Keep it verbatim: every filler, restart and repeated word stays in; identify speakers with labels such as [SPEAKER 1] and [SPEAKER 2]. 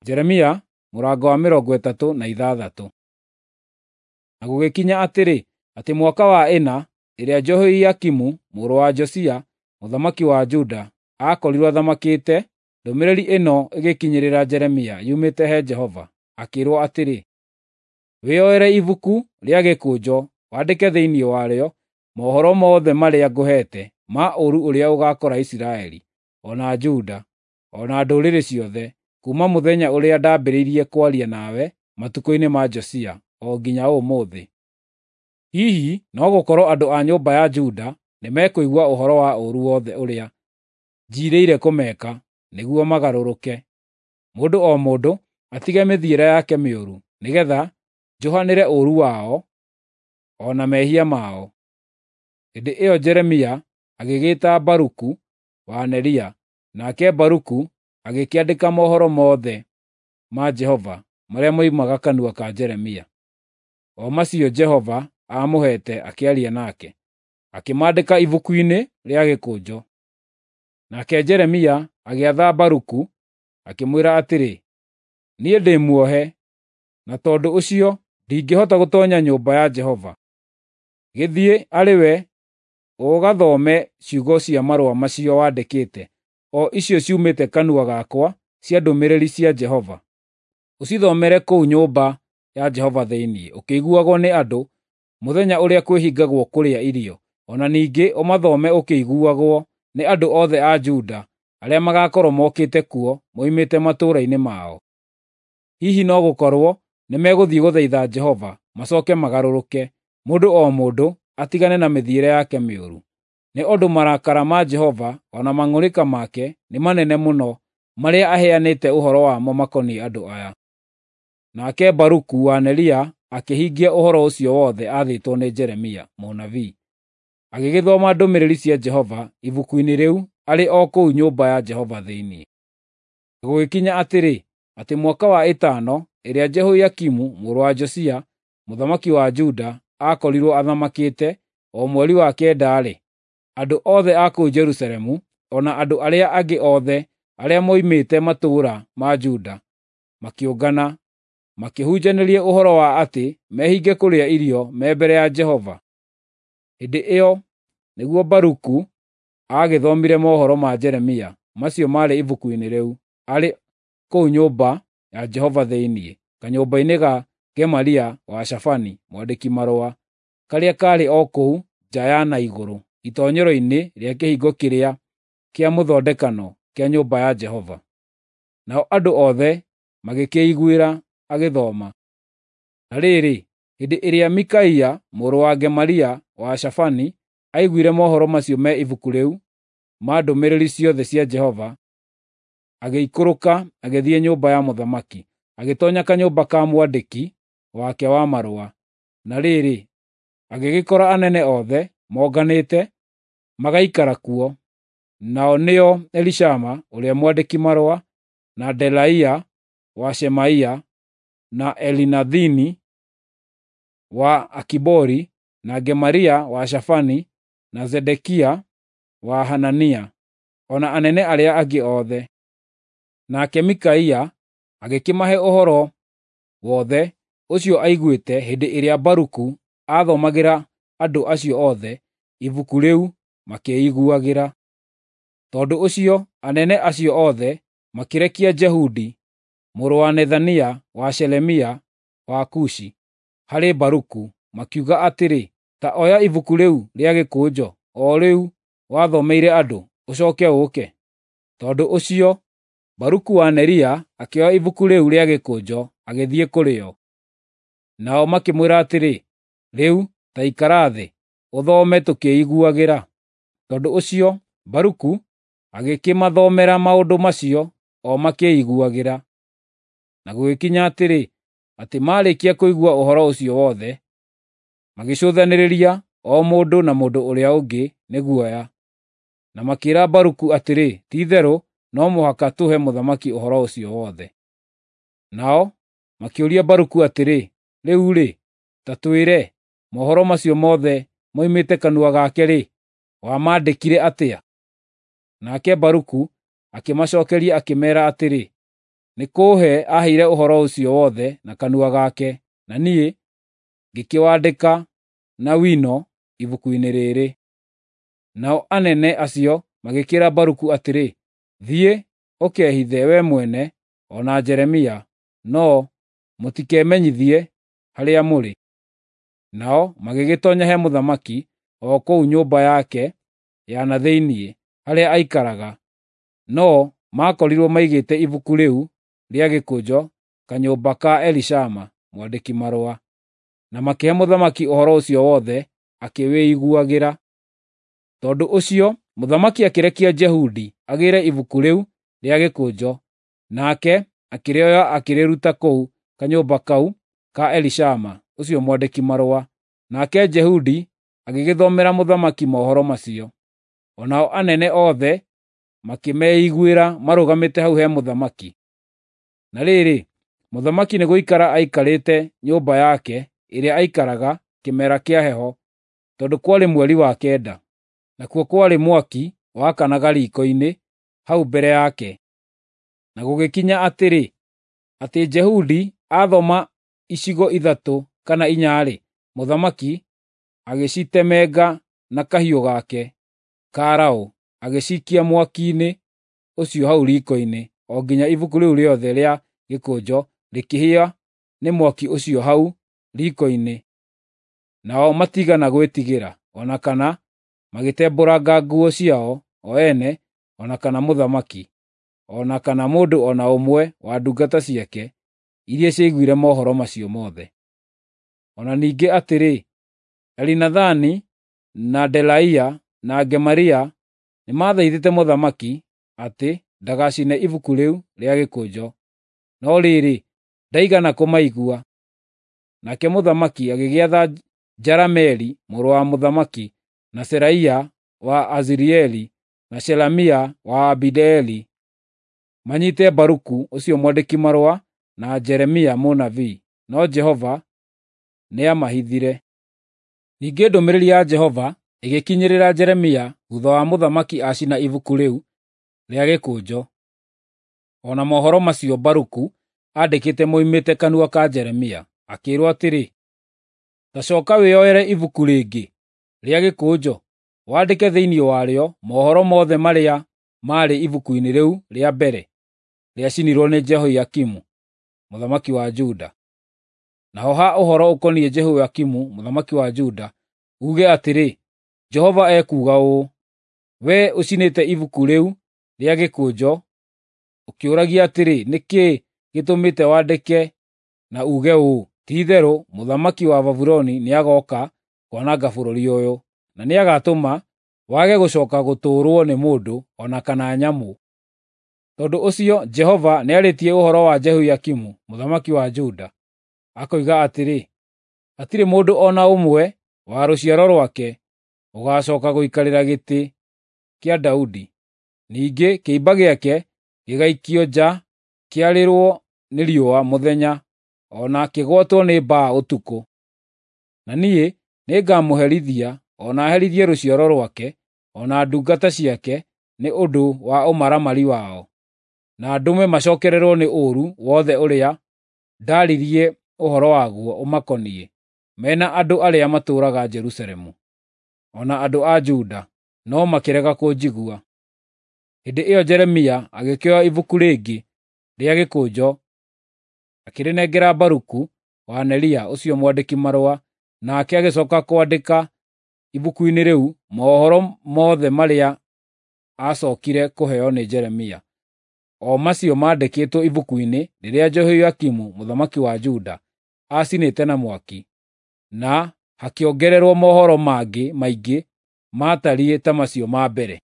[SPEAKER 1] Jeremia mũrango wa mĩrongo ĩtatũ na ithathatũ. Na gũgĩkinya atĩrĩ, atĩ mwaka wa ĩna ĩrĩa Jehoiakimu mũrũ wa Josia mũthamaki wa Juda aakorirwo athamakĩte, ndũmĩrĩri ĩno ĩgĩkinyĩrĩra Jeremia yumĩte he Jehova, akĩĩrwo atĩrĩ, “Wĩyoere ibuku rĩa gĩkũnjo wandĩke thĩinĩ warĩo mohoro mothe marĩa ngũheete ma ũũru ũrĩa ũgaakora Isiraeli, o na Juda, o na ndũrĩrĩ ciothe, kuuma mũthenya ũrĩa ndambĩrĩirie kwaria nawe matukũ-inĩ ma Josia o nginya ũmũthĩ. Hihi no gũkorwo andũ a nyũmba ya Juda nĩmekũigua ũhoro wa ũũru wothe ũrĩa njiirĩire kũmeka nĩguo magarũrũke, mũndũ o mũndũ atige mĩthiĩre yake mĩũru, nĩgeetha njohanĩre ũũru wao o na mehia mao.” Hĩndĩ ĩyo Jeremia agĩgĩĩta Baruku wa Neria, nake Baruku agĩkĩandĩka mohoro mothe ma Jehova marĩa moimaga kanua ka Jeremia, o macio Jehova aamũheete akĩaria nake, akĩmaandĩka ibuku-inĩ rĩa gĩkũnjo. Nake Jeremia agĩatha Baruku, akĩmwĩra atĩrĩ, “Niĩ ndĩ muohe, na tondũ ũcio ndingĩhota gũtoonya nyũmba ya Jehova. Gĩthiĩ arĩ we ũgathome ciugo cia marũa macio wandĩkĩte, o icio ciumĩte kanua gakwa cia ndũmĩrĩri cia Jehova. Ũcithomere kũu nyũmba ya Jehova thĩinĩ, ũkĩiguagwo nĩ andũ mũthenya ũrĩa kwĩhingagwo kũrĩa irio, o na ningĩ ũmathome ũkĩiguagwo nĩ andũ othe a Juda arĩa magaakorwo mokĩte kuo moimĩte matũũra-inĩ mao. Hihi no gũkorwo nĩmegũthiĩ gũthaitha Jehova macooke magarũrũke, mũndũ o mũndũ atigane na mĩthiĩre yake mĩũru. Nĩ ũndũ marakara ma Jehova o na mang'ũrĩka make nĩ manene mũno marĩa aheanĩte ũhoro wamo makoniĩ andũ aya.” Nake Baruku wa Neria akĩhingia ũhoro ũcio wothe aathĩtwo nĩ Jeremia mũnabii, agĩgĩthoma ndũmĩrĩri cia Jehova ibuku-inĩ rĩu arĩ o kũu nyũmba ya Jehova thĩinĩ. Na gũgĩkinya atĩrĩ, atĩ mwaka wa ĩtano ĩrĩa Jehoiakimu mũrũ wa Josia mũthamaki wa Juda aakorirwo athamakĩte, o mweri wa kenda-rĩ, andũ othe a kũu Jerusalemu o na andũ arĩa angĩ othe arĩa moimĩte matũũra ma Juda makĩũngana, makĩhunjanĩria ũhoro wa atĩ mehinge kũrĩa irio me mbere ya Jehova. Hĩndĩ ĩyo nĩguo Baruku aagĩthomire mohoro ma Jeremia macio maarĩ ibuku-inĩ rĩu, arĩ kũu nyũmba ya Jehova thĩinĩ, kanyũmba-inĩ ga Gemaria wa Shafani mwandĩki-marũa, karĩa kaarĩ o kũu nja ya na igũrũ, itoonyero-inĩ rĩa kĩhingo kĩrĩa kĩa mũthondekano kĩa nyũmba ya Jehova. Nao andũ othe magĩkĩĩiguĩra agĩthoma. Na rĩrĩ, hĩndĩ ĩrĩa Mikaia mũrũ wa Gemaria wa Shafani aiguire mohoro macio me ibuku rĩu ma ndũmĩrĩri ciothe cia Jehova, agĩikũrũka agĩthiĩ nyũmba ya mũthamaki, agĩtoonya kanyũmba ka mwandĩki wake wa marũa. Na rĩrĩ, agĩgĩkora anene othe monganĩte magaikara kuo, nao nĩo Elishama ũrĩa mwandĩki-marũa, na Delaia wa Shemaia, na Elinathani wa Akibori, na Gemaria wa Shafani, na Zedekia wa Hanania, o na anene arĩa angĩ othe. Nake Mikaia agĩkĩmahe ũhoro wothe ũcio aiguĩte hĩndĩ ĩrĩa Baruku aathomagĩra andũ acio othe ibuku rĩu makĩĩiguagĩra. Tondũ ũcio anene acio othe makĩrekia Jehudi mũrũ wa Nethania wa Shelemia wa Kushi harĩ Baruku, makiuga atĩrĩ, “Ta oya ibuku rĩu rĩa gĩkũnjo, o rĩu wathomeire andũ, ũcooke ũũke.” Tondũ ũcio Baruku wa Neria akĩoya ibuku rĩu rĩa gĩkũnjo agĩthiĩ kũrĩ o. Nao makĩmwĩra atĩrĩ, “Rĩu ta ikara thĩ, ũthome tũkĩiguagĩra.” Tondũ ũcio Baruku agĩkĩmathomera maũndũ macio o makĩiguagĩra. Na gũgĩkinya atĩrĩ, atĩ maarĩkia kũigua ũhoro ũcio wothe, magĩcũthanĩrĩria o mũndũ na mũndũ ũrĩa ũngĩ nĩ guoya, na makĩĩra Baruku atĩrĩ, “Ti-itherũ no mũhaka tũhe mũthamaki ũhoro ũcio wothe.” Nao makĩũria Baruku atĩrĩ, “Rĩu-rĩ, ta twĩre, mohoro macio mothe moimĩte kanua gake-rĩ, wamaandĩkire atĩa?” Nake Baruku akĩmacookeria akĩmeera atĩrĩ, Nĩ kũũhe aaheire ũhoro ũcio wothe na kanua gake, na niĩ ngĩkĩwandĩka na wino ibuku-inĩ rĩrĩ. Nao anene acio magĩkĩĩra Baruku atĩrĩ, "Thiĩ ũkehithe wee mwene o na Jeremia, no mũtikemenyithie harĩa mũrĩ." Nao magĩgĩtoonya he mũthamaki o kũu nyũmba yake ya na thĩinĩ, harĩa aikaraga, no maakorirwo maigĩte ibuku rĩu rĩa gĩkũnjo kanyũmba ka Elishama mwandĩki-marũa, na makĩhe mũthamaki ũhoro ũcio wothe akĩwĩiguagĩra. Tondũ ũcio mũthamaki akĩrekia Jehudi agĩĩre ibuku rĩu rĩa gĩkũnjo, nake akĩrĩoya akĩrĩruta kũu kanyũmba kau ka Elishama ũcio mwandĩki-marũa. Nake Jehudi agĩgĩthomera mũthamaki mohoro macio. O nao anene othe makĩmeiguĩra marũgamĩte hau he mũthamaki. Na rĩrĩ, mũthamaki nĩ gũikara aikarĩte nyũmba yake ĩrĩa aikaraga kĩmera kĩa heho, tondũ kwarĩ mweri wa kenda, nakuo kwarĩ mwaki wakanaga riiko-inĩ hau mbere yake. Na gũgĩkinya atĩrĩ, atĩ Jehudi aathoma icigo ithatũ kana inya-rĩ, mũthamaki agĩcitemenga na kahiũ gake ka raũ, agĩcikia mwaki-inĩ ũcio hau riiko-inĩ, o nginya ibuku rĩu rĩothe rĩa gĩkũnjo rĩkĩhĩa nĩ mwaki ũcio hau riiko-inĩ. Nao matiigana gwĩtigĩra, o na kana magĩtembũranga nguo ciao o ene, o na kana mũthamaki, o na kana mũndũ o na ũmwe wa ndungata ciake iria ciaiguire mohoro macio mothe. O na ningĩ atĩrĩ, Elinathani na Delaia na Gemaria nĩmathaithĩte mũthamaki atĩ ndagacine ibuku rĩu rĩa gĩkũnjo, no rĩrĩ, ndaigana kũmaigua. Nake mũthamaki agĩgĩatha Jerameeli mũrũ wa mũthamaki, na Seraia wa Azirieli, na Shelemia wa Abideeli manyiite Baruku ũcio mwandĩki-marũa na Jeremia mũnabii, no Jehova nĩamahithire. Ningĩ ndũmĩrĩri ya Jehova ĩgĩkinyĩrĩra Jeremia thuutha wa mũthamaki acina ibuku rĩu rĩa gĩkũnjo, o na mohoro macio Baruku aandĩkĩte moimĩte kanua ka Jeremia, akĩĩrwo atĩrĩ, “Ta cooka wĩoere ibuku rĩngĩ rĩa gĩkũnjo, wandĩke thĩinĩ warĩo mohoro mothe marĩa maarĩ ibuku-inĩ rĩu rĩa mbere rĩacinirwo nĩ Jehoiakimu mũthamaki wa Juda. Naho ha ũhoro ũkoniĩ Jehoiakimu mũthamaki wa Juda, uuge atĩrĩ, Jehova ekuuga ũũ: Wee ũcinĩte ibuku rĩu rĩa gĩkũnjo ũkĩũragia atĩrĩ, 'Nĩ kĩĩ gĩtũmĩte wandĩke na uuge ũũ? Ti-itherũ mũthamaki wa Babuloni nĩagooka kwananga bũrũri ũyũ, na nĩagatũma wage gũcooka gũtũũrwo nĩ mũndũ o na kana nyamũ.' Tondũ ũcio Jehova nĩarĩtie ũhoro wa Jehoiakimu mũthamaki wa Juda, akoiga atĩrĩ, hatirĩ mũndũ o na ũmwe wa rũciaro rwake ũgaacooka gũikarĩra gĩtĩ kĩa Daudi, ningĩ kĩimba gĩake gĩgaikio nja kĩarĩrwo nĩ riũa mũthenya, o na kĩgwatwo nĩ mbaa ũtukũ. Na niĩ nĩngamũherithia o na herithie rũciaro rwake o na ndungata ciake nĩ ũndũ wa ũmaramari wao, na ndũme macookererwo nĩ ũũru wothe ũrĩa ndaaririe ũhoro waguo ũmakoniĩ, me na andũ arĩa matũũraga Jerusalemu, o na andũ a Juda, no makĩrega kũnjigua." Hĩndĩ ĩyo Jeremia agĩkĩoya ibuku rĩngĩ rĩa gĩkũnjo, akĩrĩnengera Baruku wa Neria ũcio mwandĩki-marũa, nake agĩcooka kwandĩka ibuku-inĩ rĩu mohoro mothe marĩa aacookire kũheo nĩ Jeremia, o macio maandĩkĩtwo ibuku-inĩ rĩrĩa Jehoiakimu mũthamaki wa Juda aacinĩte na mwaki, na hakĩongererwo mohoro mangĩ maingĩ maatariĩ ta macio ma mbere.